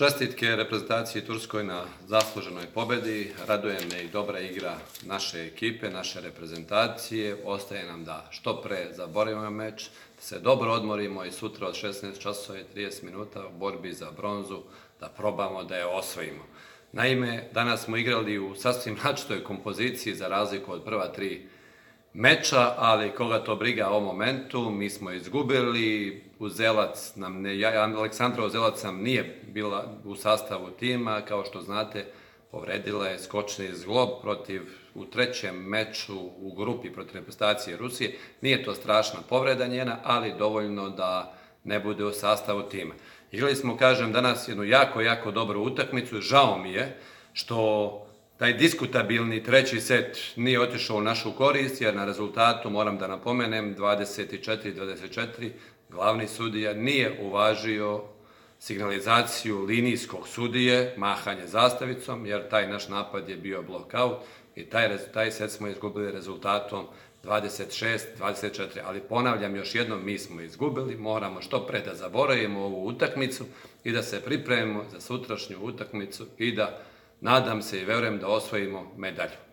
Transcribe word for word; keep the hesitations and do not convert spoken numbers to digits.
Čestitke reprezentaciji Turskoj na zasluženoj pobedi. Raduje me i dobra igra naše ekipe, naše reprezentacije. Ostaje nam da što pre zaboravimo meč, da se dobro odmorimo i sutra od šesnaest časova i trideset minuta u borbi za bronzu da probamo da je osvojimo. Naime, danas smo igrali u sasvim različitoj kompoziciji za razliku od prva tri meča, ali koga to briga o momentu, mi smo izgubili, Uzelac nam ne, Aleksandra Uzelac nam nije bila u sastavu tima, kao što znate, povredila je skočni zglob protiv, u trećem meču u grupi protiv reprezentacije Rusije. Nije to strašna povreda njena, ali dovoljno da ne bude u sastavu tima. Igrali smo, kažem, danas jednu jako, jako dobru utakmicu. Žao mi je što taj diskutabilni treći set nije otišao u našu korist, jer na rezultatu, moram da napomenem, dvadeset četiri dvadeset četiri, glavni sudija nije uvažio signalizaciju linijskog sudije, mahanje zastavicom, jer taj naš napad je bio blokaut i taj, taj set smo izgubili rezultatom dvadeset šest dvadeset četiri. Ali ponavljam još jednom, mi smo izgubili, moramo što pre da zaboravimo ovu utakmicu i da se pripremimo za sutrašnju utakmicu i da, nadam se i verujem, da osvojimo medalju.